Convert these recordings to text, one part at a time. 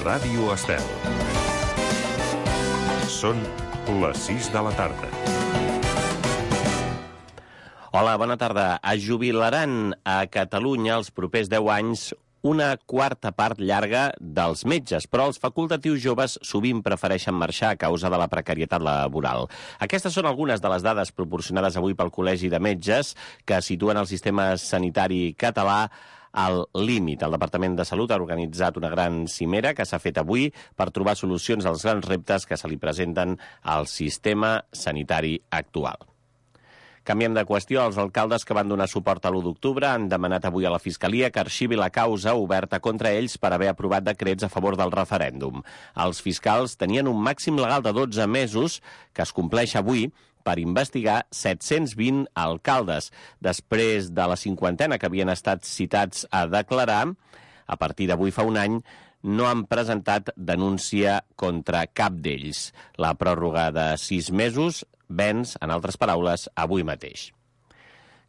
Ràdio Estel. Són les 6 de la tarda. Hola, bona tarda. Es jubilaran a Catalunya els propers 10 anys una quarta part llarga dels metges, però els facultatius joves sovint prefereixen marxar a causa de la precarietat laboral. Aquestes són algunes de les dades proporcionades avui pel Col·legi de Metges que situen el sistema sanitari català al límit. El Departament de Salut ha organitzat una gran cimera que s'ha fet avui per trobar solucions als grans reptes que se li presenten al sistema sanitari actual. Canviem de qüestió. Els alcaldes que van donar suport a l'1 d'octubre han demanat avui a la Fiscalia que arxivi la causa oberta contra ells per haver aprovat decrets a favor del referèndum. Els fiscals tenien un màxim legal de 12 mesos, que es compleix avui, per investigar 720 alcaldes. Després de la 50ena que havien estat citats a declarar, a partir d'avui fa un any, no han presentat denúncia contra cap d'ells. La pròrroga de 6 mesos venç, en altres paraules, avui mateix.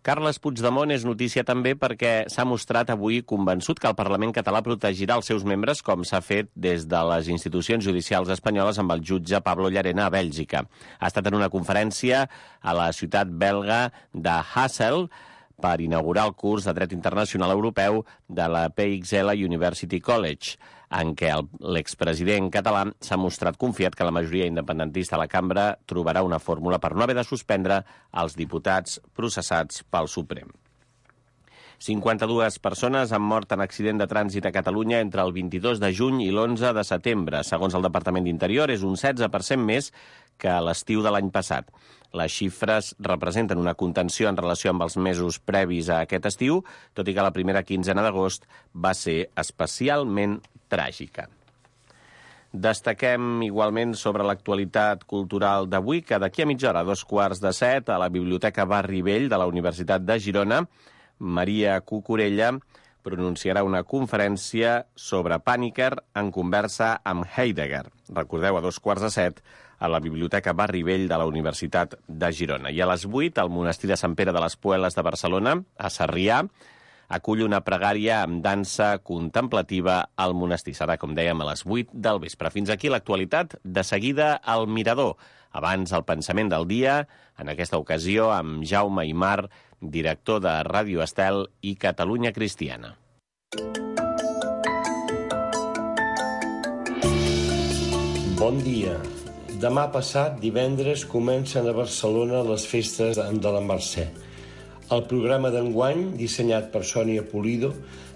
Carles Puigdemont és notícia també perquè s'ha mostrat avui convençut que el Parlament català protegirà els seus membres com s'ha fet des de les institucions judicials espanyoles amb el jutge Pablo Llarena a Bèlgica. Ha estat en una conferència a la ciutat belga de Hasselt per inaugurar el curs de Dret Internacional Europeu de la PXL University College, en què l'expresident català s'ha mostrat confiat que la majoria independentista a la cambra trobarà una fórmula per no haver de suspendre els diputats processats pel Suprem. 52 persones han mort en accident de trànsit a Catalunya entre el 22 de juny i l'11 de setembre. Segons el Departament d'Interior, és un 16% més que a l'estiu de l'any passat. Les xifres representen una contenció en relació amb els mesos previs a aquest estiu, tot i que la primera quinzena d'agost va ser especialment tràgica. Destaquem igualment sobre l'actualitat cultural d'avui, que d'aquí a mitja hora, a 6:45, a la Biblioteca Barri Vell de la Universitat de Girona, Maria Cucurella pronunciarà una conferència sobre Panikkar en conversa amb Heidegger. Recordeu, a 6:45, a la Biblioteca Barri Vell de la Universitat de Girona. I a les 8, al Monestir de Sant Pere de les Pueles de Barcelona, a Sarrià, acull una pregària amb dansa contemplativa al monestir. Serà, com dèiem, a les 8 del vespre. Fins aquí l'actualitat. De seguida, al Mirador. Abans, el pensament del dia, en aquesta ocasió amb Jaume Aymar, director de Ràdio Estel i Catalunya Cristiana. Bon dia. Demà passat, divendres, comencen a Barcelona les festes de la Mercè. El programa d'enguany, dissenyat per Sònia Pulido,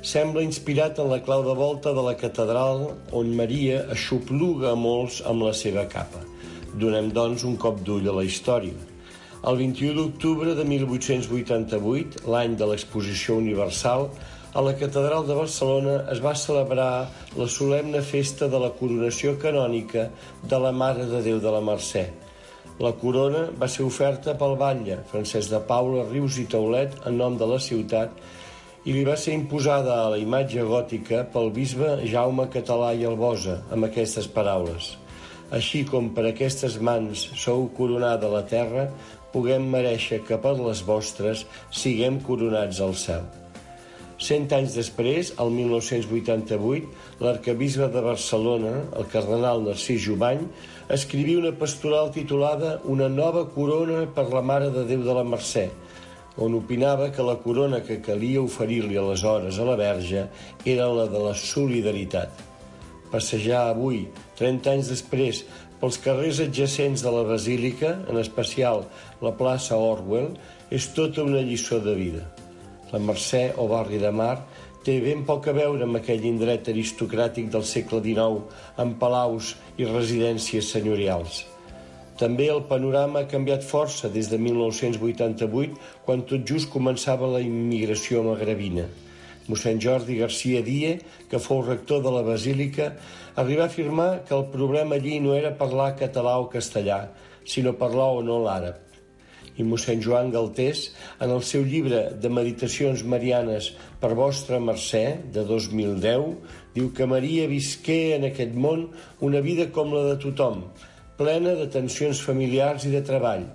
sembla inspirat en la clau de volta de la catedral on Maria aixopluga a molts amb la seva capa. Donem, doncs, un cop d'ull a la història. El 21 d'octubre de 1888, l'any de l'Exposició Universal, a la Catedral de Barcelona es va celebrar la solemne festa de la coronació canònica de la Mare de Déu de la Mercè. La corona va ser oferta pel batlle Francesc de Paula, Rius i Taulet en nom de la ciutat i li va ser imposada a la imatge gòtica pel bisbe Jaume Català i Albosa amb aquestes paraules: així com per aquestes mans sou coronada la terra, puguem mereixer que per les vostres siguem coronats al cel. 100 anys després, el 1988, l'arquebisbe de Barcelona, el cardenal Narcís Jubany, escrivia una pastoral titulada Una nova corona per la Mare de Déu de la Mercè, on opinava que la corona que calia oferir-li aleshores a la Verge era la de la solidaritat. Passejar avui, 30 anys després, pels carrers adjacents de la Basílica, en especial la plaça Orwell, és tota una lliçó de vida. La Mercè, o barri de Mar, té ben poc a veure amb aquell indret aristocràtic del segle XIX, amb palaus i residències senyorials. També el panorama ha canviat força des de 1988, quan tot just començava la immigració magrebina. Mossèn Jordi Garcia Die, que fou rector de la Basílica, arribà a afirmar que el problema allí no era parlar català o castellà, sinó parlar o no l'àrab. I mossèn Joan Galtés, en el seu llibre de Meditacions Marianes per vostra Mercè, de 2010, diu que Maria visqué en aquest món una vida com la de tothom, plena de tensions familiars i de treball.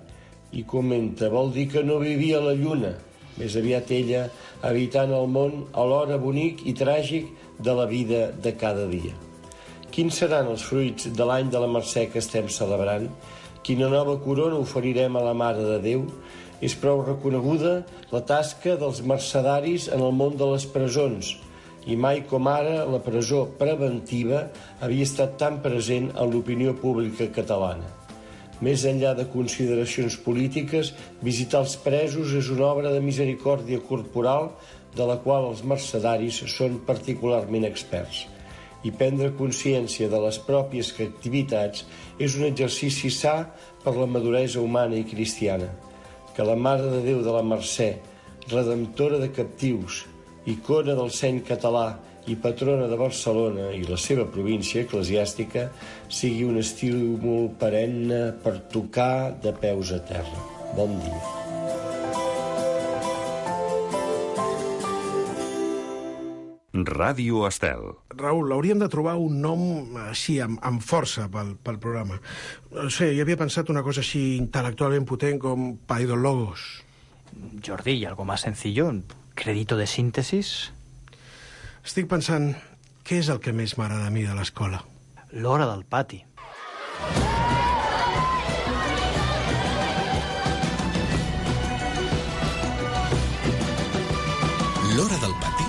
I comenta, vol dir que no vivia a la lluna, més aviat ella habitant el món alhora bonic i tràgic de la vida de cada dia. Quins seran els fruits de l'any de la Mercè que estem celebrant? Quina nova corona oferirem a la Mare de Déu? És prou reconeguda la tasca dels mercedaris en el món de les presons, i mai com ara la presó preventiva havia estat tan present en l'opinió pública catalana. Més enllà de consideracions polítiques, visitar els presos és una obra de misericòrdia corporal de la qual els mercedaris són particularment experts. I prendre consciència de les pròpies activitats és un exercici sa per la maduresa humana i cristiana. Que la Mare de Déu de la Mercè, redemptora de captius, icona del seny català i patrona de Barcelona i la seva província eclesiàstica, sigui un estímul perenne per tocar de peus a terra. Bon dia. Ràdio Estel. Raül, hauríem de trobar un nom així, amb força pel programa. No sé, jo havia pensat una cosa així intel·lectualment potent com Paidologos. Jordi, ¿y algo más sencillo? ¿Crédito de síntesis? Estic pensant, què és el que més m'agrada a mi de l'escola? L'hora del pati. L'hora del pati.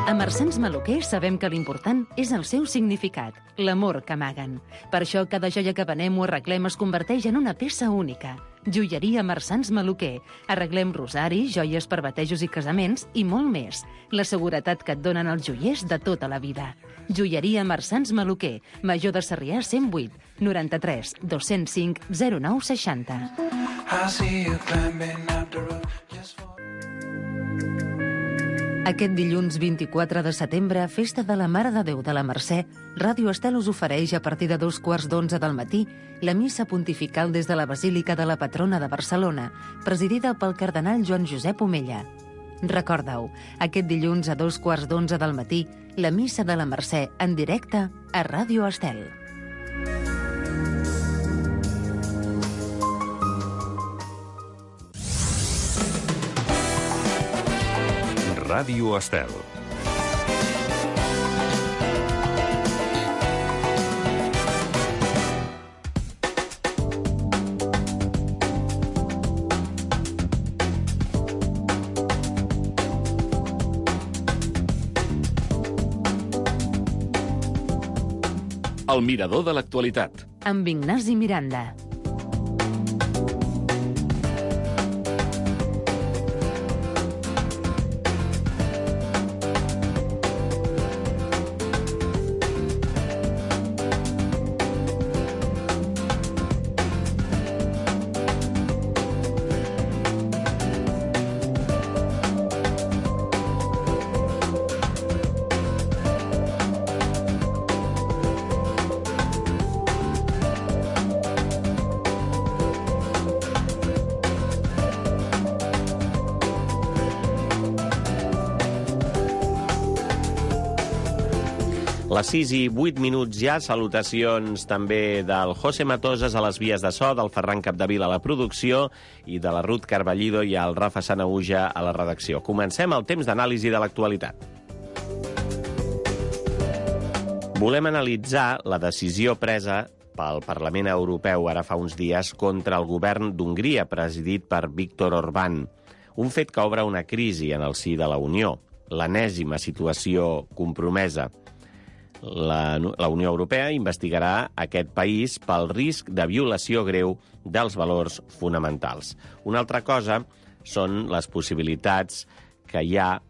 A Marsans Maluquer sabem que l'important és el seu significat, l'amor que amaguen. Per això cada joia que venem o arreglem es converteix en una peça única. Joieria Marsans Maluquer. Arreglem rosaris, joies per batejos i casaments i molt més. La seguretat que et donen els joiers de tota la vida. Joieria Marsans Maluquer. Major de Sarrià 108 93 205 09 60. Aquest dilluns 24 de setembre, festa de la Mare de Déu de la Mercè, Ràdio Estel us ofereix a partir de 2:15 del matí la missa pontifical des de la Basílica de la Patrona de Barcelona, presidida pel cardenal Joan Josep Omella. Recorda-ho, aquest dilluns a 2:15 del matí, la missa de la Mercè en directe a Ràdio Estel. Ràdio Estel. El mirador de l'actualitat. Amb Ignasi Miranda. Les 6:08 ja, salutacions també del José Matoses a les vies de so, del Ferran Capdevila a la producció i de la Ruth Carballido i el Rafa Sanahuja a la redacció. Comencem el temps d'anàlisi de l'actualitat. Volem analitzar la decisió presa pel Parlament Europeu ara fa uns dies contra el govern d'Hongria, presidit per Viktor Orbán. Un fet que obre una crisi en el si de la Unió, l'enèsima situació compromesa. La Unió Europea investigarà aquest país pel risc de violació greu dels valors fonamentals. Una altra cosa són les possibilitats que hi ha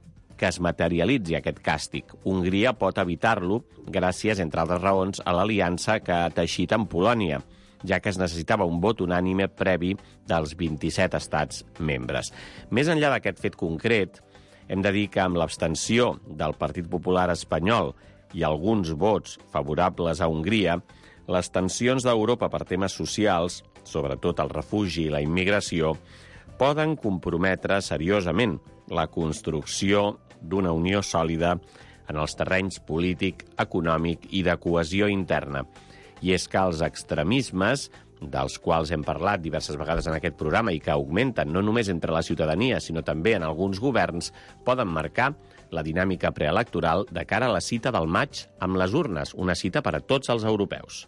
que es materialitzi aquest càstig. Hongria pot evitar-lo gràcies, entre altres raons, a l'aliança que ha teixit amb Polònia, ja que es necessitava un vot unànime previ dels 27 estats membres. Més enllà d'aquest fet concret, hem de dir que amb l'abstenció del Partit Popular espanyol i alguns vots favorables a Hongria, les tensions d'Europa per temes socials, sobretot el refugi i la immigració, poden comprometre seriosament la construcció d'una unió sòlida en els terrenys polític, econòmic i de cohesió interna. I és que els extremismes dels quals hem parlat diverses vegades en aquest programa i que augmenten no només entre la ciutadania, sinó també en alguns governs, poden marcar la dinàmica preelectoral de cara a la cita del maig amb les urnes, una cita per a tots els europeus.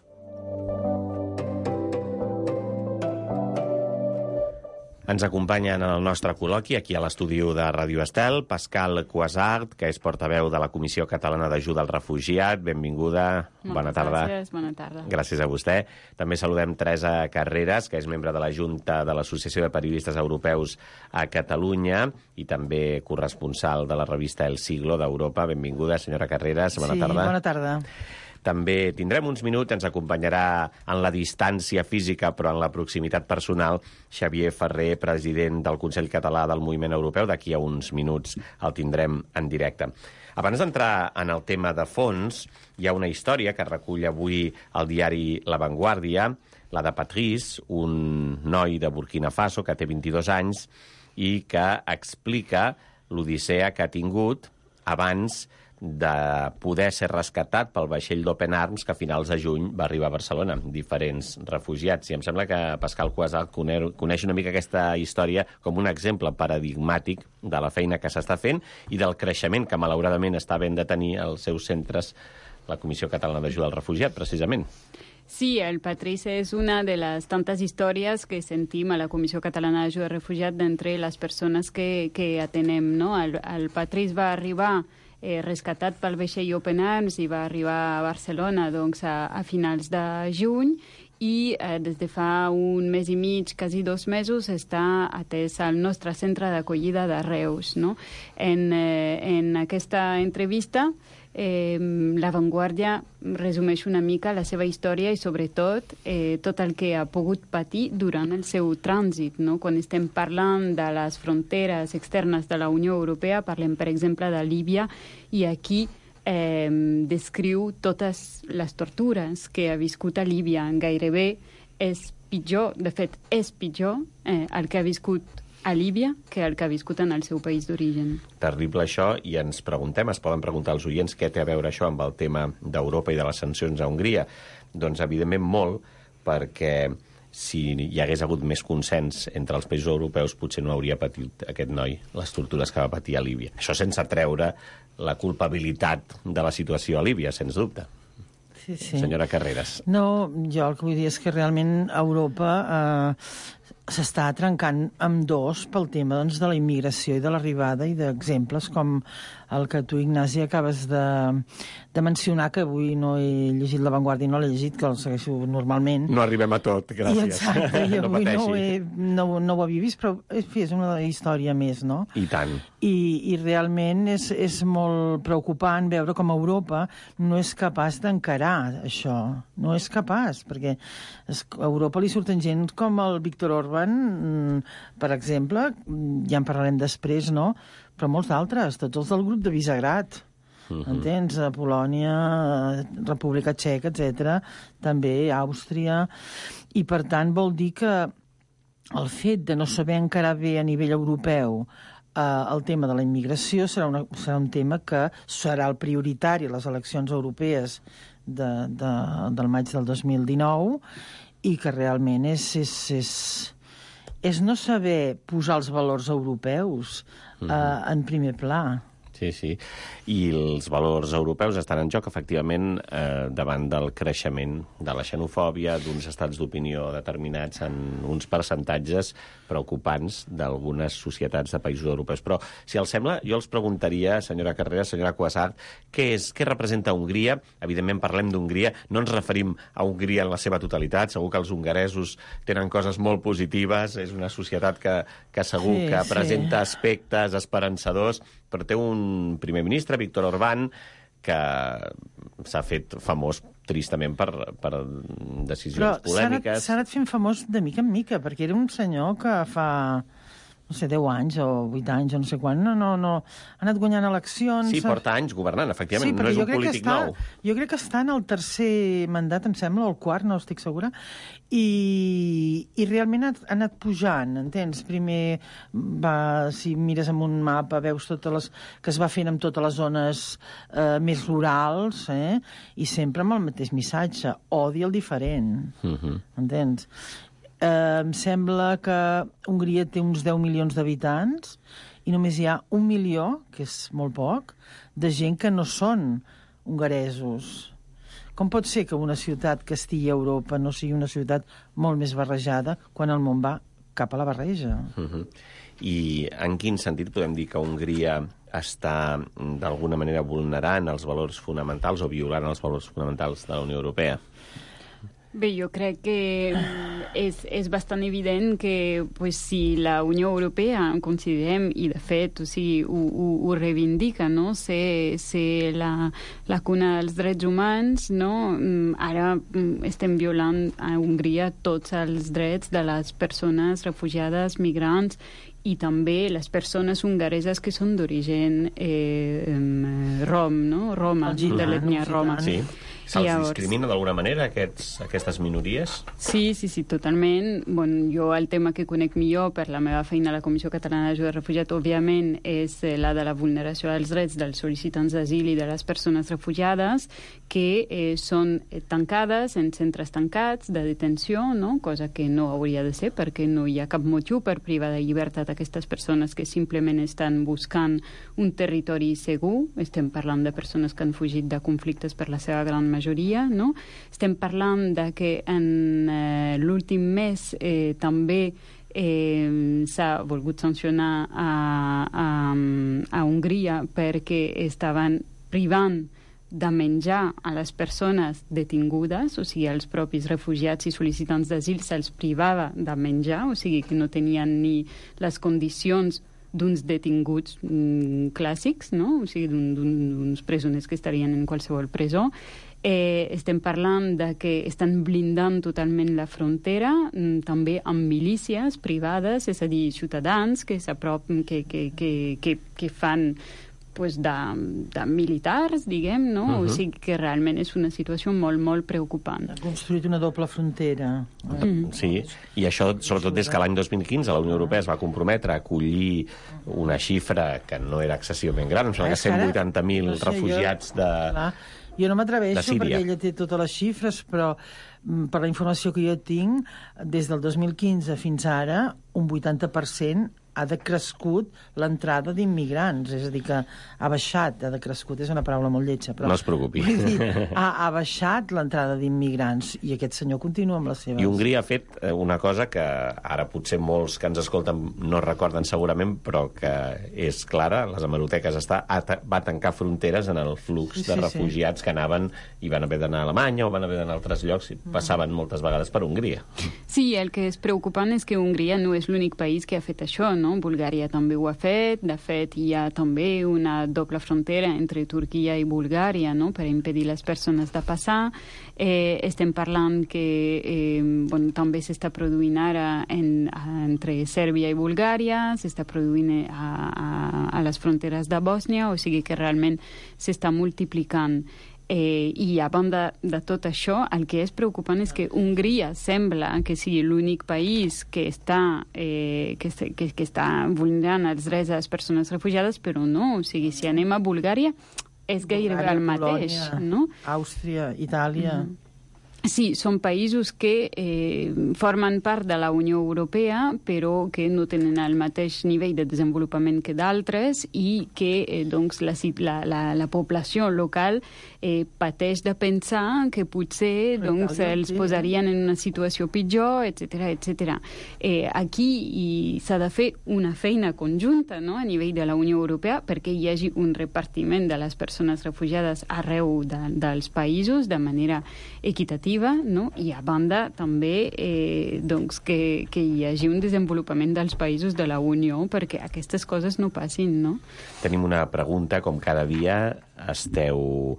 Ens acompanyen en el nostre col·loqui, aquí a l'estudi de Ràdio Estel, Pascal Cuasart, que és portaveu de la Comissió Catalana d'Ajuda al Refugiat. Benvinguda, bona tarda. Gràcies, bona tarda. Gràcies a vostè. També saludem Teresa Carreras, que és membre de la Junta de l'Associació de Periodistes Europeus a Catalunya i també corresponsal de la revista El Siglo d'Europa. Benvinguda, senyora Carreras, bona tarda. Sí, bona tarda. També tindrem uns minuts, ens acompanyarà en la distància física però en la proximitat personal Xavier Ferrer, president del Consell Català del Moviment Europeu. D'aquí a uns minuts el tindrem en directe. Abans d'entrar en el tema de fons, hi ha una història que recull avui el diari La Vanguardia, la de Patrice, un noi de Burkina Faso que té 22 anys i que explica l'odissea que ha tingut abans de poder ser rescatat pel vaixell d'Open Arms que a finals de juny va arribar a Barcelona, diferents refugiats. I em sembla que Pascal Cuasart coneix una mica aquesta història com un exemple paradigmàtic de la feina que s'està fent i del creixement que malauradament està havent de tenir als seus centres la Comissió Catalana d'Ajuda al Refugiat, precisament. Sí, el Patrice es una de las tantas historias que sentim a la Comissió Catalana d'Ajuda al Refugiat d'entre les persones que atenem, no? El Patrice va arribar rescatat pel vaixell Open Arms i va arribar a Barcelona doncs, a finals de juny i des de fa un mes i mig, quasi 2 mesos, està atès al nostre centre d'acollida de Reus. No? En aquesta entrevista, La Vanguardia resumeix una mica la seva història i, sobretot, tot el que ha pogut patir durant el seu trànsit. No? Quan estem parlant de les fronteres externes de la Unió Europea, parlem, per exemple, de Líbia, i aquí descriu totes les tortures que ha viscut a Líbia. Gairebé és pitjor, de fet, és pitjor el que ha viscut a Líbia que el que ha viscut en el seu país d'origen. Terrible això, i ens preguntem, es poden preguntar als oients què té a veure això amb el tema d'Europa i de les sancions a Hongria. Doncs, evidentment, molt, perquè si hi hagués hagut més consens entre els països europeus, potser no hauria patit aquest noi les tortures que va patir a Líbia. Això sense treure la culpabilitat de la situació a Líbia, sens dubte. Sí, sí. Senyora Carreras. No, jo el que vull dir és que realment Europa s'està trencant amb dos pel tema doncs, de la immigració i de l'arribada i d'exemples com el que tu, Ignasi, acabes de mencionar, que avui no he llegit La Vanguardia, no l'he llegit, que el segueixo normalment. No arribem a tot, gràcies. I exacte, i avui no ho havia vist, però en fi, és una història més, no? I tant. I realment és molt preocupant veure com Europa no és capaç d'encarar això. No és capaç, perquè a Europa li surten gent com el Viktor Orbán, per exemple, ja en parlarem després, no?, però molts d'altres, tots els del grup de Visegrad, entens? Polònia, República Txeca, etc., també Àustria, i per tant vol dir que el fet de no saber encarar bé a nivell europeu el tema de la immigració serà un tema que serà el prioritari a les eleccions europees del maig del 2019 i que realment és no saber posar els valors europeus en primer pla. Sí, sí. I els valors europeus estan en joc, efectivament, davant del creixement de la xenofòbia, d'uns estats d'opinió determinats en uns percentatges preocupants d'algunes societats de països europeus. Però, si els sembla, jo els preguntaria, senyora Carreras, senyora Cuasart, què representa Hongria? Evidentment, parlem d'Hongria, no ens referim a Hongria en la seva totalitat, segur que els hongaresos tenen coses molt positives, és una societat que segur que presenta aspectes esperançadors, però té un primer ministre, Viktor Orbán, que s'ha fet famós tristament per decisions polèmiques. S'ha anat fent famós de mica en mica, perquè era un senyor que fa, no sé, 10 anys o 8 anys o no sé quan, no, ha anat guanyant eleccions... Sí, porta anys governant, efectivament, no és un polític nou. Jo crec que està en el tercer mandat, em sembla, o el quart, no estic segura, i realment ha anat pujant, entens? Primer, si mires en un mapa, veus totes les que es va fent amb totes les zones més rurals, i sempre amb el mateix missatge, odi el diferent, entens? Em sembla que Hongria té uns 10 milions d'habitants i només hi ha 1 milió, que és molt poc, de gent que no són hongaresos. Com pot ser que una ciutat que estigui a Europa no sigui una ciutat molt més barrejada quan el món va cap a la barreja? I en quin sentit podem dir que Hongria està d'alguna manera vulnerant els valors fonamentals o violant els valors fonamentals de la Unió Europea? Bé, jo crec que és bastant evident que si la Unió Europea considerem, i de fet ho reivindica, no? ser la cuna dels drets humans, no? Ara estem violant a Hongria tots els drets de les persones refugiades, migrants, i també les persones hongareses que són d'origen rom, no? Roma, de l'ètnia roma. Sí. Se'ls discrimina d'alguna manera aquestes minories? Sí, totalment. Jo el tema que conec millor per la meva feina a la Comissió Catalana d'Ajuda de Refugiats, òbviament, és la de la vulneració dels drets dels sol·licitants d'asil i de les persones refugiades que són tancades en centres tancats de detenció, no? Cosa que no hauria de ser perquè no hi ha cap motiu per privar de llibertat aquestes persones que simplement estan buscant un territori segur. Estem parlant de persones que han fugit de conflictes per la seva gran majoria, no? Estem parlant de que en l'últim mes també s'ha volgut sancionar a Hongria perquè estaven privant de menjar a les persones detingudes, o sigui, els propis refugiats i sol·licitants d'asil se'ls privava de menjar, o sigui que no tenien ni les condicions d'uns detinguts clàssics, no? O sigui, d'uns presoners que estarien en qualsevol presó. Estem parlant de que estan blindant totalment la frontera, també amb milícies privades, és a dir, ciutadans que s'apropen, que fan de militars, diguem, no? O sigui que realment és una situació molt, molt preocupant. Ha construït una doble frontera. Sí, i això sobretot des que l'any 2015 la Unió Europea es va comprometre a acollir una xifra que no era excessivament gran, em sembla que 180.000 refugiats de... Jo no m'atreveixo perquè ella té totes les xifres, però per la informació que jo tinc, des del 2015 fins ara, un 80% ha decrescut l'entrada d'immigrants, és a dir, que ha baixat, ha decrescut, és una paraula molt lletja, però... No es preocupi. Ha baixat l'entrada d'immigrants, i aquest senyor continua amb les seves... I Hongria ha fet una cosa que ara potser molts que ens escolten no recorden segurament, però que és clara, les hemeroteques va tancar fronteres en el flux de refugiats que anaven i van haver d'anar a Alemanya o van haver d'anar a altres llocs i passaven moltes vegades per Hongria. Sí, el que és preocupant és que Hongria no és l'únic país que ha fet això, no? Bulgària també ho ha fet. De fet, hi ha també una doble frontera entre Turquia i Bulgària, no? Per impedir les persones de passar. Estem parlant que també s'està produint ara entre Sèrbia i Bulgària, s'està produint a les fronteres de Bòsnia, o sigui que realment s'està multiplicant. I a banda de tot això, el que és preocupant és que Hongria sembla que sigui l'únic país que està vulnerant els drets de les persones refugiades, però no, o sigui, si anem a Bulgària és gairebé el mateix, no? Àustria, Itàlia... Sí, són països que formen part de la Unió Europea, però que no tenen el mateix nivell de desenvolupament que d'altres i que doncs, la població local pateix de pensar que potser doncs, els posarien en una situació pitjor, etc. Aquí s'ha de fer una feina conjunta, no?, a nivell de la Unió Europea perquè hi hagi un repartiment de les persones refugiades arreu dels països de manera equitativa, no? I a banda també doncs que hi hagi un desenvolupament dels països de la Unió perquè aquestes coses no passin, no? Tenim una pregunta, com cada dia esteu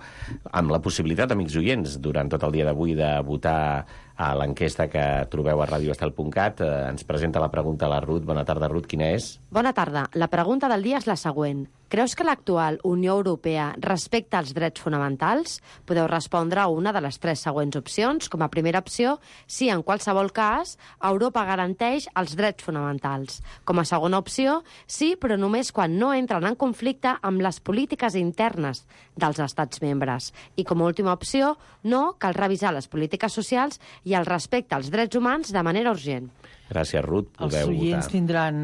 amb la possibilitat, amics oients, durant tot el dia d'avui de votar a l'enquesta que trobeu a radioestel.cat. Ens presenta la pregunta la Ruth. Bona tarda, Ruth. Quina és? Bona tarda. La pregunta del dia és la següent. Creus que l'actual Unió Europea respecta els drets fonamentals? Podeu respondre a una de les 3 següents opcions. Com a primera opció, sí, en qualsevol cas, Europa garanteix els drets fonamentals. Com a segona opció, sí, però només quan no entren en conflicte amb les polítiques internes dels estats membres. I com a última opció, no, cal revisar les polítiques socials i el respecte als drets humans de manera urgent. Gràcies, Ruth. Els oients tindran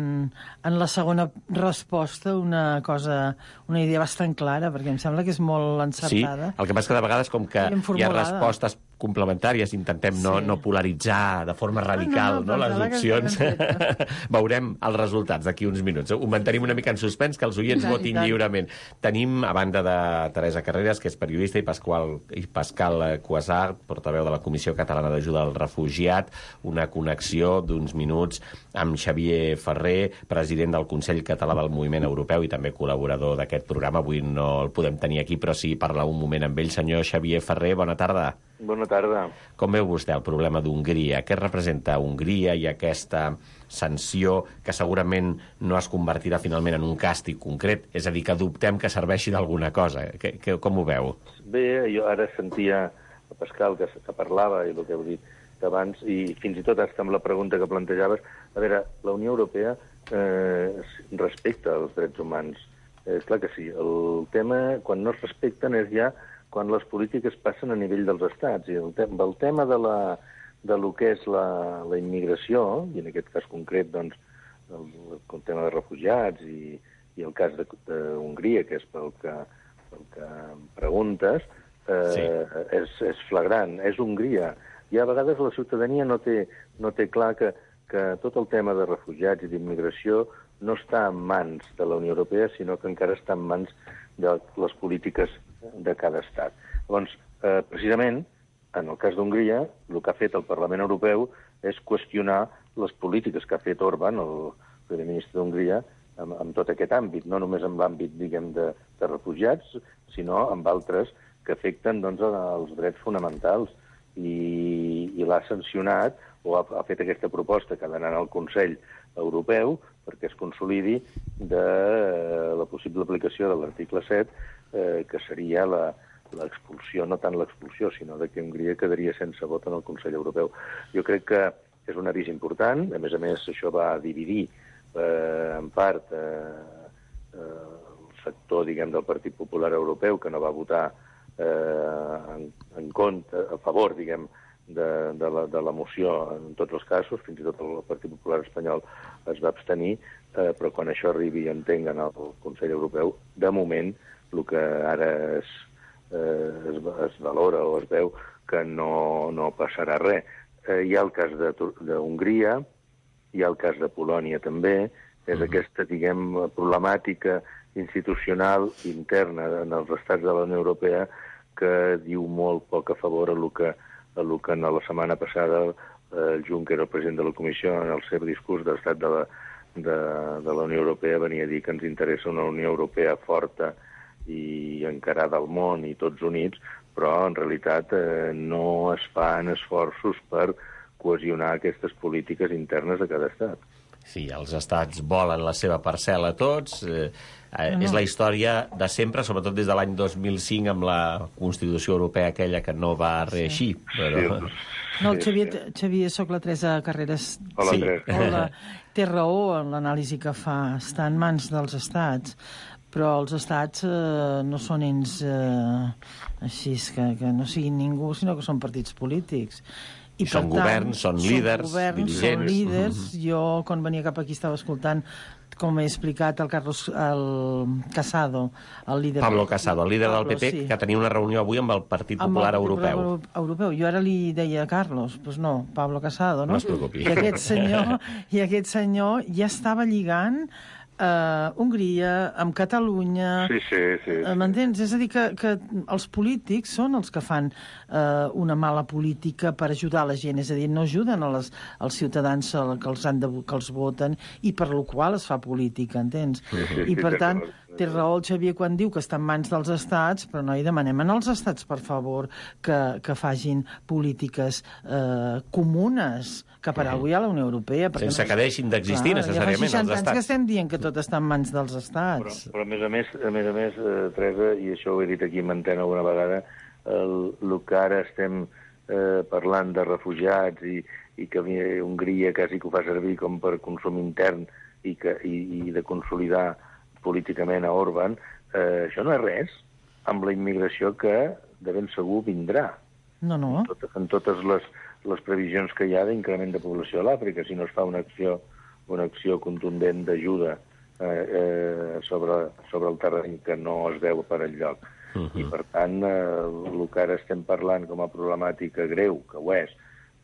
en la segona resposta una idea bastant clara, perquè em sembla que és molt encertada. Sí, el que passa que de vegades, com que hi ha respostes complementàries, intentem no polaritzar de forma radical les opcions. Veurem els resultats d'aquí uns minuts. Ho mantenim una mica en suspens, que els oients votin lliurement. Tenim, a banda de Teresa Carreras, que és periodista, i Pascal Cuasart, portaveu de la Comissió Catalana d'Ajuda al Refugiat, una connexió d'uns minuts amb Xavier Ferrer, president del Consell Català del Moviment Europeu i també col·laborador d'aquest programa. Avui no el podem tenir aquí, però sí parlar un moment amb ell. Senyor Xavier Ferrer, bona tarda. Bona tarda. Com veu vostè el problema d'Hongria? Què representa Hongria i aquesta sanció que segurament no es convertirà finalment en un càstig concret? És a dir, que dubtem que serveixi d'alguna cosa. Com ho veu? Bé, jo ara sentia a Pascal que parlava i el que heu dit abans, i fins i tot hasta amb la pregunta que plantejaves. A veure, la Unió Europea respecta els drets humans. Clar que sí. El tema, quan no es respecten, és ja quan les polítiques passen a nivell dels estats. I el tema de lo que és la immigració, i en aquest cas concret, doncs, el tema de refugiats i el cas d'Hongria, que és pel que preguntes, és flagrant. És Hongria. I a vegades la ciutadania no té clar que tot el tema de refugiats i d'immigració no està en mans de la Unió Europea, sinó que encara està en mans de les polítiques de cada estat. Llavors, precisament, en el cas d'Hongria, el que ha fet el Parlament Europeu és qüestionar les polítiques que ha fet Orbán, el primer ministre d'Hongria, en tot aquest àmbit, no només en l'àmbit, diguem, de refugiats, sinó en altres que afecten, doncs, els drets fonamentals. I l'ha sancionat, o ha fet aquesta proposta que ha d'anar al Consell Europeu perquè es consolidi de la possible aplicació de l'article 7, que seria l'expulsió, no tant l'expulsió, sinó que Hongria quedaria sense vot en el Consell Europeu. Jo crec que és un avís important. A més, això va dividir en part el sector, diguem, del Partit Popular Europeu, que no va votar en compte, a favor, diguem, de la moció en tots els casos. Fins i tot el Partit Popular espanyol es va abstenir, però quan això arribi i entenguen al Consell Europeu, de moment, el que ara es valora o es veu que no passarà res. Hi ha el cas d'Hongria, hi ha el cas de Polònia també, és aquesta, diguem, problemàtica institucional interna en els estats de la Unió Europea que diu molt poc a favor a lo que la setmana passada el Juncker, el president de la Comissió, en el seu discurs d'estat de la Unió Europea venia a dir que ens interessa una Unió Europea forta i encarada al món i tots units, però en realitat no es fan esforços per cohesionar aquestes polítiques internes de cada estat. Sí, els estats volen la seva parcel·la tots. És la història de sempre, sobretot des de l'any 2005 amb la Constitució Europea aquella que no va reeixir. Però... No, el Xavier, soc la Teresa Carreras. Hola, Teresa. Hola. Té raó en l'anàlisi que fa. Està en mans dels estats, però els estats no són ells així, que no siguin ningú, sinó que són partits polítics. I són governs, són líders, dirigents. Són líders. Jo, quan venia cap aquí, estava escoltant, com he explicat, el Casado, el líder... Pablo Casado, el líder del PP, que tenia una reunió avui amb el Partit Popular Europeu. Jo ara li deia a Carlos, doncs no, Pablo Casado, no? No es preocupi. I aquest senyor ja estava lligant Hongria, amb Catalunya... Sí. M'entens? És a dir, que els polítics són els que fan una mala política per ajudar la gent. És a dir, no ajuden als ciutadans que els voten i per la qual es fa política, entens? I per tant, té raó el Xavier quan diu que està en mans dels estats, però no hi demanem als estats, per favor, que facin polítiques comunes, que per avui a la Unió Europea. Sense que deixin d'existir necessàriament els estats. Ja fa 60 anys que estem dient que tot està en mans dels estats. Però a més a més, Teresa, i això ho he dit aquí en antena alguna vegada, el que ara estem parlant de refugiats i que Hongria quasi que ho fa servir com per consum intern i de consolidar políticament a Orbán, això no és res amb la immigració que de ben segur vindrà. No. En totes les previsions que hi ha d'increment de població a l'Àfrica, si no es fa una acció contundent d'ajuda sobre el terreny que no es veu per enlloc. I, per tant, el que ara estem parlant com a problemàtica greu, que ho és,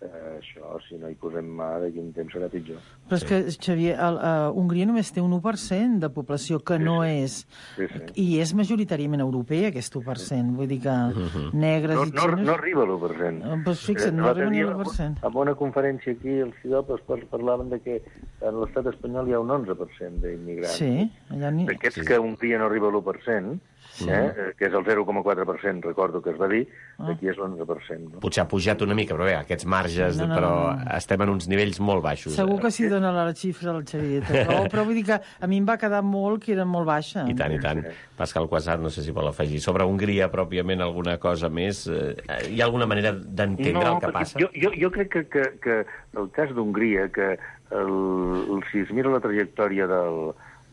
això, si no hi posem mà, d'aquí un temps serà pitjor. Però és que, Xavier, Hongria només té un 1% de població, que no és... I és majoritàriament europea, aquest 1%. Vull dir que negres i xinos... No arriba a l'1%. Doncs fixa't, no arriba ni a l'1%. En una conferència aquí, els CIDOP parlaven de que en l'estat espanyol hi ha un 11% d'immigrants. Sí, allà ni... D'aquests que Hongria no arriba a l'1%, que és el 0,4%, recordo que es va dir, aquí és l'11%. Potser ha pujat una mica, però bé, aquests marges, però estem en uns nivells molt baixos. Segur que s'hi dona la xifra al Xavier, però vull dir que a mi em va quedar molt que era molt baixa. I tant. Pascal Quasar, no sé si vol afegir. Sobre Hongria, pròpiament, alguna cosa més? Hi ha alguna manera d'entendre el que passa? Jo crec que el cas d'Hongria, que si es mira la trajectòria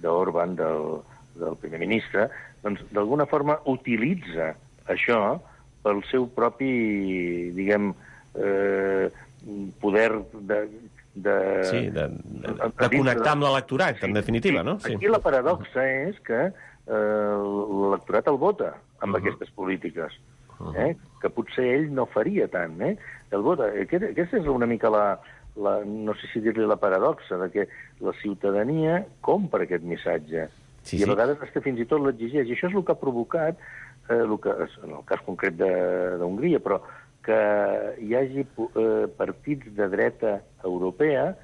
d'Orbán, del primer ministre, doncs d'alguna forma utilitza això pel seu propi, diguem, poder de connectar amb l'electorat, en definitiva, no? Aquí la paradoxa és que l'electorat el vota amb aquestes polítiques, que potser ell no faria tant, el vota. Aquesta és una mica no sé si dir-li la paradoxa, de que la ciutadania compra aquest missatge. I a vegades fins i tot l'exigeix. I això és el que ha provocat, en el cas concret d'Hongria, però que hi hagi partits de dreta europea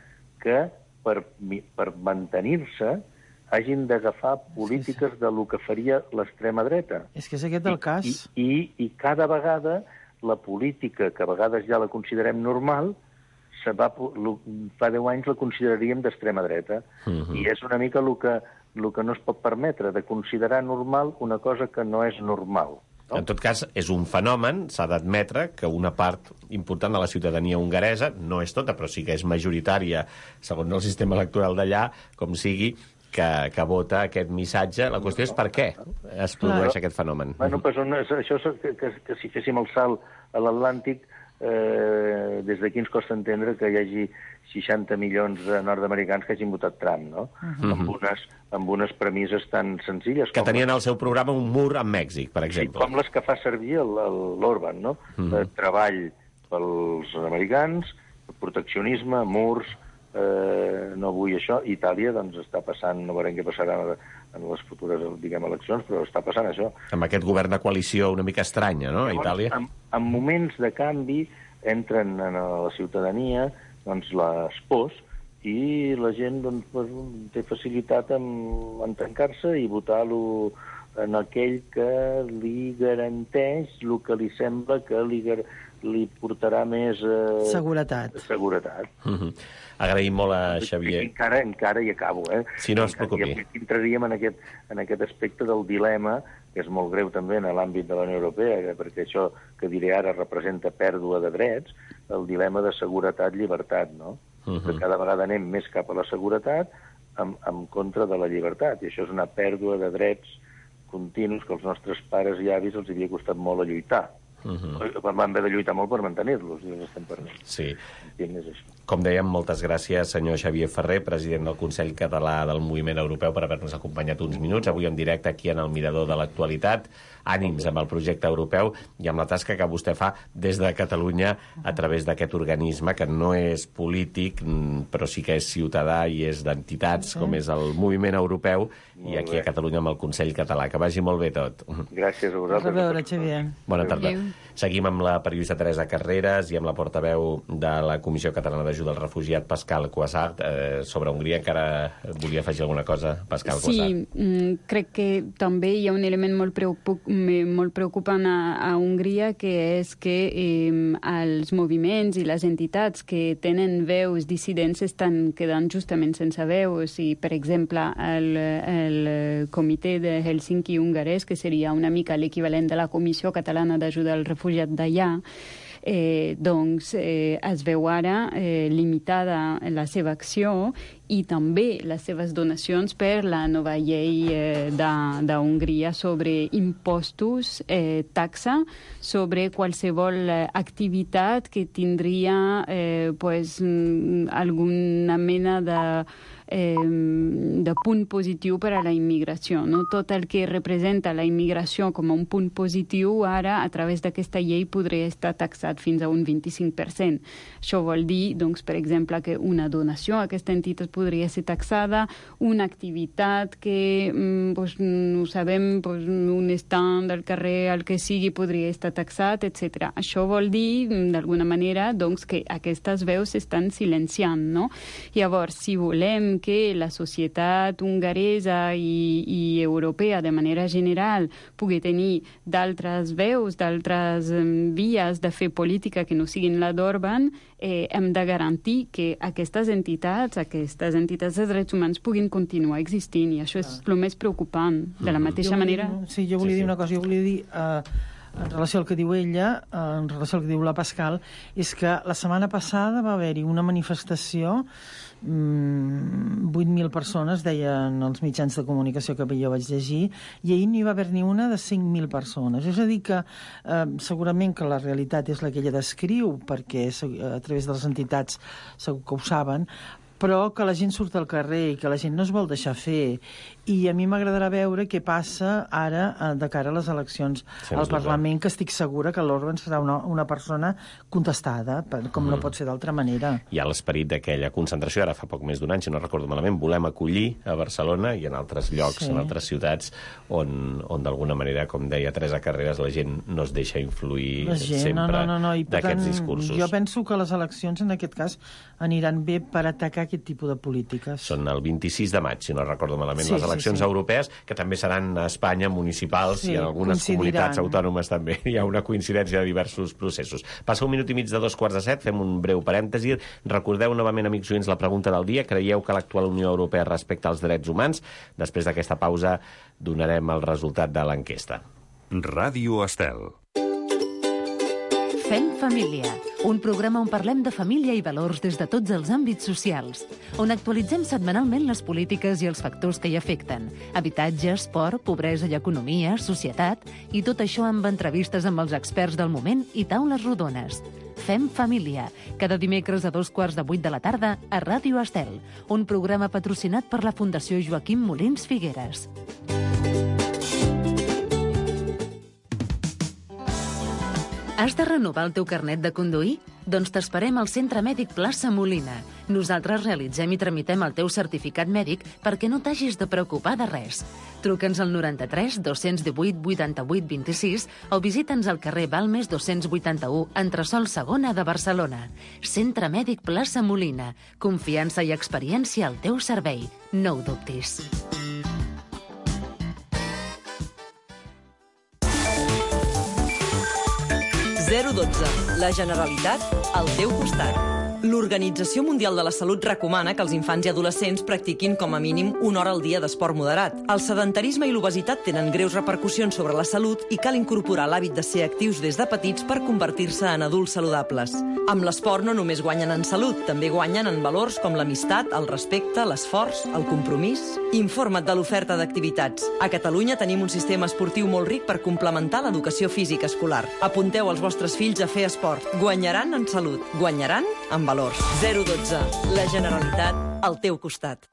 que, per mantenir-se, hagin d'agafar polítiques del que faria l'extrema dreta. És que és aquest el cas. I cada vegada la política, que a vegades ja la considerem normal, fa 10 anys la consideraríem d'extrema dreta. I és una mica el que no es pot permetre, de considerar normal una cosa que no és normal. En tot cas, és un fenomen, s'ha d'admetre, que una part important de la ciutadania hongaresa, no és tota, però sí que és majoritària, segons el sistema electoral d'allà, com sigui, que vota aquest missatge. La qüestió és per què es produeix aquest fenomen. Bueno, això que si féssim el salt a l'Atlàntic, des d'aquí ens costa entendre que hi hagi 60 milions de nord-americans que hagin votat Trump, no? Amb unes premisses tan senzilles que tenien al seu programa un mur amb Mèxic, per exemple. Com les que fa servir l'Orbán, no? Treball pels americans, proteccionisme, murs, no vull això. Itàlia, doncs, està passant, no veurem què passarà en les futures, diguem, eleccions, però està passant això. Amb aquest govern de coalició una mica estranya, no?, a Itàlia. En moments de canvi entren a la ciutadania doncs, les pors i la gent doncs, té facilitat en tancar-se i votar-lo en aquell que li garanteix el que li sembla que li portarà més... Seguretat. Agraïm molt a Xavier. Encara hi acabo, Si no es preocupi. I entraríem en aquest aspecte del dilema, que és molt greu també en l'àmbit de la Unió Europea, perquè això que diré ara representa pèrdua de drets, el dilema de seguretat-llibertat, no? Que cada vegada anem més cap a la seguretat en contra de la llibertat, i això és una pèrdua de drets continus que els nostres pares i avis els havia costat molt a lluitar. Van haver de lluitar molt per mantenir-los, i els estem perdent. Sí. És això. Com dèiem, moltes gràcies, senyor Xavier Ferrer, president del Consell Català del Moviment Europeu, per haver-nos acompanyat uns minuts, avui en directe aquí en el Mirador de l'Actualitat. Ànims amb el projecte europeu i amb la tasca que vostè fa des de Catalunya a través d'aquest organisme, que no és polític, però sí que és ciutadà i és d'entitats, com és el Moviment Europeu, i aquí a Catalunya amb el Consell Català. Que vagi molt bé tot. Gràcies a vosaltres. A veure, Xavier. Bona tarda. Seguim amb la periodista Teresa Carreras i amb la portaveu de la Comissió Catalana d'Ajuda al Refugiat, Pascal Cuassart. Sobre Hongria encara volia afegir alguna cosa, Pascal Cuassart? Sí, crec que també hi ha un element molt preocupant a Hongria, que és que els moviments i les entitats que tenen veus dissidents estan quedant justament sense veu. Per exemple, el comitè de Helsinki hongarès, que seria una mica l'equivalent de la Comissió Catalana d'Ajuda al Refugiat d'allà, es veu ara limitada la seva acció i també les seves donacions per la nova llei d'Hongria sobre impostos, taxa sobre qualsevol activitat que tindria alguna mena de punt positiu per a la immigració. No? Tot el que representa la immigració com a un punt positiu, ara, a través d'aquesta llei, podria estar taxat fins a un 25%. Això vol dir, doncs, per exemple, que una donació a aquesta entitat podria ser taxada, una activitat que, no sabem, un estand del carrer, el que sigui, podria estar taxat, etc. Això vol dir, d'alguna manera, doncs, que aquestes veus s'estan silenciant, no? Llavors, si volem que la societat hongaresa i europea, de manera general, pugui tenir d'altres veus, d'altres vies de fer política que no siguin la d'Orbán, hem de garantir que aquestes entitats de drets humans puguin continuar existint, i això és el més preocupant. De la mateixa manera... Sí, jo volia dir una cosa, jo volia dir... en relació al que diu ella, en relació al que diu la Pascal, és que la setmana passada va haver-hi una manifestació, 8.000 persones, deien els mitjans de comunicació que jo vaig llegir, i ahir no hi va haver ni una de 5.000 persones. És a dir que segurament que la realitat és la que ella descriu, perquè a través de les entitats segur que ho saben, però que la gent surt al carrer i que la gent no es vol deixar fer. I a mi m'agradarà veure què passa ara de cara a les eleccions al Parlament, que estic segura que l'Orbán serà una persona contestada, com no pot ser d'altra manera. Hi ha l'esperit d'aquella concentració, ara fa poc més d'un any, si no recordo malament, volem acollir a Barcelona i en altres llocs, en altres ciutats, on d'alguna manera, com deia Teresa Carreras, la gent no es deixa influir sempre d'aquests discursos. Jo penso que les eleccions, en aquest cas, aniran bé per atacar aquest tipus de polítiques. Són el 26 de maig, si no recordo malament, les eleccions europees, que també seran a Espanya, municipals, i en algunes comunitats autònomes també. Hi ha una coincidència de diversos processos. Passa 1 minut i mig de 2:45, fem un breu parèntesi. Recordeu novament, amics oients, la pregunta del dia. Creieu que l'actual Unió Europea respecta els drets humans? Després d'aquesta pausa donarem el resultat de l'enquesta. Ràdio Estel. Fem família, un programa on parlem de família i valors des de tots els àmbits socials, on actualitzem setmanalment les polítiques i els factors que hi afecten, habitatge, esport, pobresa i economia, societat, i tot això amb entrevistes amb els experts del moment i taules rodones. Fem família, cada dimecres a 7:15 de la tarda a Ràdio Estel, un programa patrocinat per la Fundació Joaquim Molins Figueres. Has de renovar el teu carnet de conduir? Doncs t'esperem al Centre Mèdic Plaça Molina. Nosaltres realitzem i tramitem el teu certificat mèdic perquè no t'hagis de preocupar de res. Truca'ns al 93 218 88 26 o visita'ns al carrer Balmes 281, entresòl segona de Barcelona. Centre Mèdic Plaça Molina. Confiança i experiència al teu servei. No ho dubtis. 012. La Generalitat al teu costat. L'Organització Mundial de la Salut recomana que els infants i adolescents practiquin com a mínim 1 hora al dia d'esport moderat. El sedentarisme i l'obesitat tenen greus repercussions sobre la salut i cal incorporar l'hàbit de ser actius des de petits per convertir-se en adults saludables. Amb l'esport no només guanyen en salut, també guanyen en valors com l'amistat, el respecte, l'esforç, el compromís. Informa't de l'oferta d'activitats. A Catalunya tenim un sistema esportiu molt ric per complementar l'educació física escolar. Apunteu els vostres fills a fer esport. Guanyaran en salut, guanyaran en valors. 012. La Generalitat al teu costat.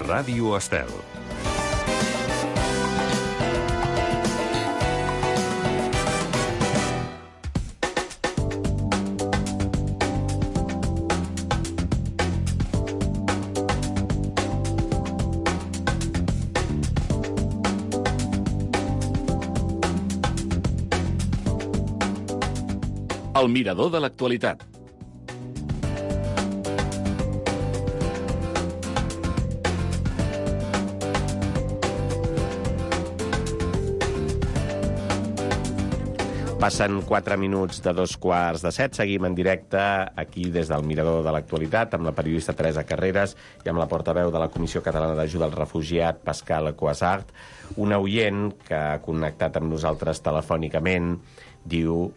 Ràdio Estel. El mirador de l'actualitat. Passen 4 minuts de 2:15. Seguim en directe aquí des del Mirador de l'Actualitat amb la periodista Teresa Carreras i amb la portaveu de la Comissió Catalana d'Ajuda al Refugiat, Pascal Cuasart. Una oient que ha connectat amb nosaltres telefònicament diu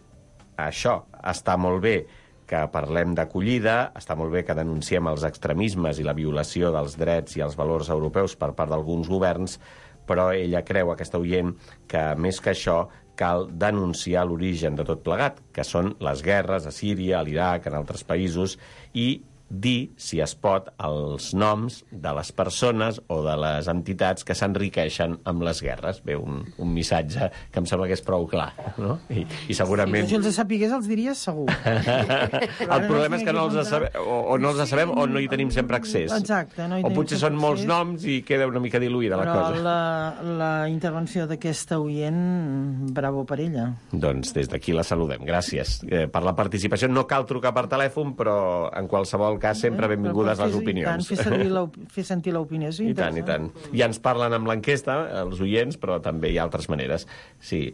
això, està molt bé que parlem d'acollida, està molt bé que denunciem els extremismes i la violació dels drets i els valors europeus per part d'alguns governs, però ella creu, aquesta oient, que més que això cal denunciar l'origen de tot plegat, que són les guerres a Síria, a l'Iraq, en altres països, i dir, si es pot, els noms de les persones o de les entitats que s'enriqueixen amb les guerres. Bé, un missatge que em sembla que és prou clar, no? I segurament... Si els sapigués, els diries segur. El problema és que no els sabem, o no els sabem o no hi tenim sempre accés. Exacte. No hi o potser són molts noms i queda una mica diluïda la cosa. Però la intervenció d'aquesta oient, bravo per ella. Doncs des d'aquí la saludem. Gràcies per la participació. No cal trucar per telèfon, però en qualsevol cas sempre benvingudes les opinions. I tant, fer sentir l'opinió. I tant, i tant. Ja ens parlen amb l'enquesta, els oients, però també hi ha altres maneres. Sí,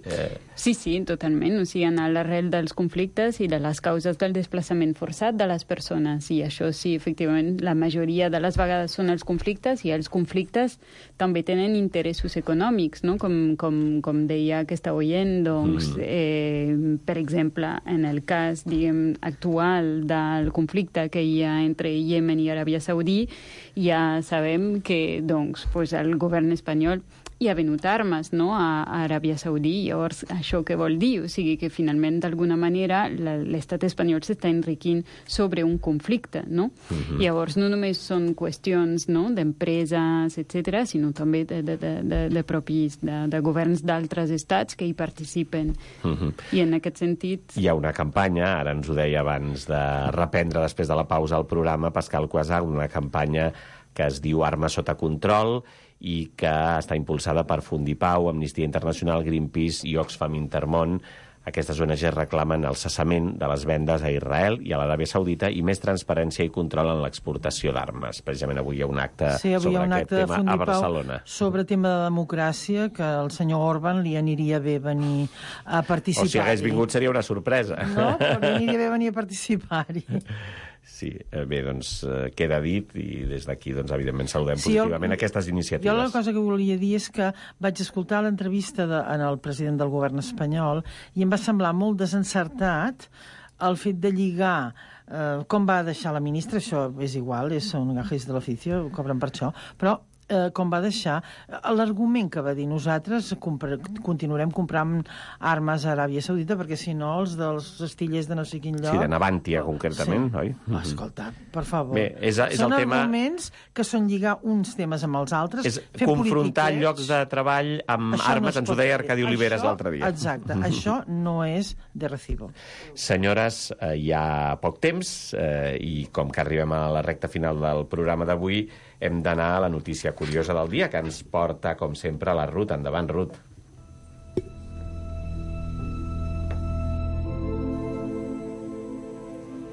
sí, totalment. O sigui, anar a l'arrel dels conflictes i de les causes del desplaçament forçat de les persones. I això sí, efectivament, la majoria de les vegades són els conflictes, i els conflictes també tenen interessos econòmics, no? Com deia aquesta oient, doncs, per exemple, en el cas, diguem, actual del conflicte que hi ha entre Iemen i Aràbia Saudí, ja sabem que doncs, el govern espanyol hi ha venut armes, no?, a Aràbia Saudí. Llavors, això què vol dir? O sigui que finalment, d'alguna manera, l'estat espanyol s'està enriquint sobre un conflicte, no? Llavors, no només són qüestions, no?, d'empreses, etc., sinó també de governs d'altres estats que hi participen. I en aquest sentit... Hi ha una campanya, ara ens ho deia abans de reprendre després de la pausa al programa, Pascal Cuasart, una campanya que es diu Armes sota control, i que està impulsada per Fundipau, Amnistia Internacional, Greenpeace i Oxfam Intermón. Aquestes ONG reclamen el cessament de les vendes a Israel i a l'Aràbia Saudita i més transparència i control en l'exportació d'armes. Precisament avui hi ha un acte sobre aquest tema a Barcelona. Sobre tema de democràcia, que al senyor Orban li aniria bé venir a participar-hi. O si hagués vingut seria una sorpresa. No, però li aniria bé venir a participar-hi. Sí, bé, doncs queda dit, i des d'aquí, doncs, evidentment, saludem positivament aquestes iniciatives. Jo la cosa que volia dir és que vaig escoltar l'entrevista en el president del govern espanyol i em va semblar molt desencertat el fet de lligar com va deixar la ministra, això és igual, són gajes de l'oficio, cobren per això, però com va deixar l'argument que va dir nosaltres continuarem comprant armes a Aràbia Saudita perquè si no els dels astillers de no sé quin lloc... Sí, de Navantia concretament, oi? Escolta, per favor. Bé, són arguments que són lligar uns temes amb els altres, és confrontar llocs de treball amb armes, ens ho deia Arcadi Oliveres l'altre dia. Exacte, això no és de recibo. Senyores, hi ha poc temps i com que arribem a la recta final del programa d'avui, hem d'anar a la notícia curiosa del dia, que ens porta, com sempre, la Ruth. Endavant, Ruth.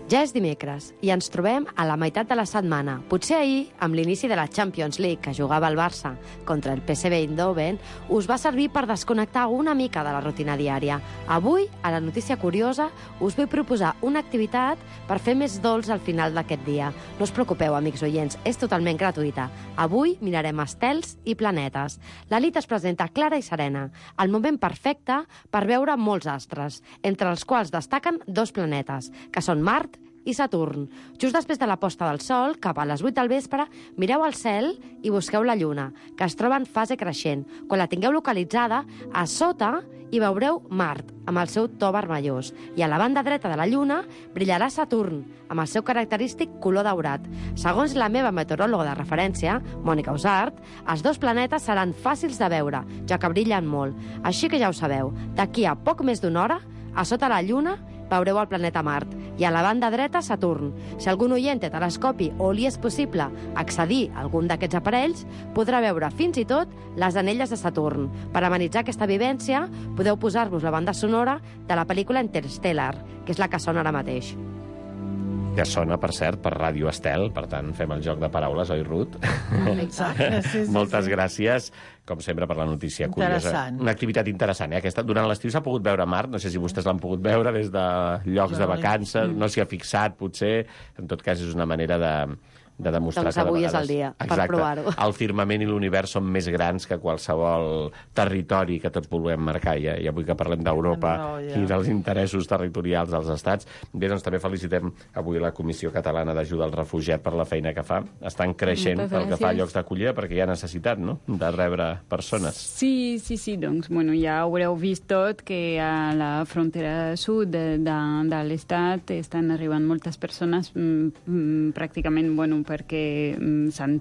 Ja és dimecres i ens trobem a la meitat de la setmana. Potser ahir, amb l'inici de la Champions League que jugava el Barça contra el PSV Eindhoven, us va servir per desconnectar una mica de la rutina diària. Avui, a la notícia curiosa, us vull proposar una activitat per fer més dolç al final d'aquest dia. No us preocupeu, amics oients, és totalment gratuïta. Avui mirarem estels i planetes. La nit es presenta clara i serena, el moment perfecte per veure molts astres, entre els quals destaquen 2 planetes, que són Mart i Saturn. Just després de la posta del Sol, cap a les 8 del vespre, mireu al cel i busqueu la Lluna, que es troba en fase creixent. Quan la tingueu localitzada, a sota hi veureu Mart, amb el seu to vermellós, i a la banda dreta de la Lluna brillarà Saturn, amb el seu característic color daurat. Segons la meva meteoròloga de referència, Mònica Usart, els 2 planetes seran fàcils de veure, ja que brillen molt. Així que ja ho sabeu, d'aquí a poc més d'una hora, a sota la Lluna veureu el planeta Mart, i a la banda dreta Saturn. Si algun oient té telescopi o li és possible accedir a algun d'aquests aparells, podrà veure fins i tot les anelles de Saturn. Per amenitzar aquesta vivència, podeu posar-vos la banda sonora de la pel·lícula Interstellar, que és la que sona ara mateix. Que sona, per cert, per Ràdio Estel, per tant, fem el joc de paraules, oi, Ruth? Exacte, sí. Moltes gràcies, com sempre, per la notícia curiosa. Interessant. Una activitat interessant, Aquesta, durant l'estiu s'ha pogut veure Mart, no sé si vostès l'han pogut veure des de llocs de vacances, no s'hi ha fixat, potser. En tot cas, és una manera de demostrar doncs que de avui vegades... és el dia per provar-ho. El firmament i l'univers són més grans que qualsevol territori que tots volem marcar, i avui que parlem d'Europa i dels interessos territorials dels estats. Bé, doncs també felicitem avui la Comissió Catalana d'Ajuda al Refugiat per la feina que fa. Estan creixent pel que fa a llocs d'acollida, perquè hi ha necessitat, no?, de rebre persones. Sí, doncs, bueno, ja haureu vist tot que a la frontera sud de l'estat estan arribant moltes persones, pràcticament, bueno, perquè s'han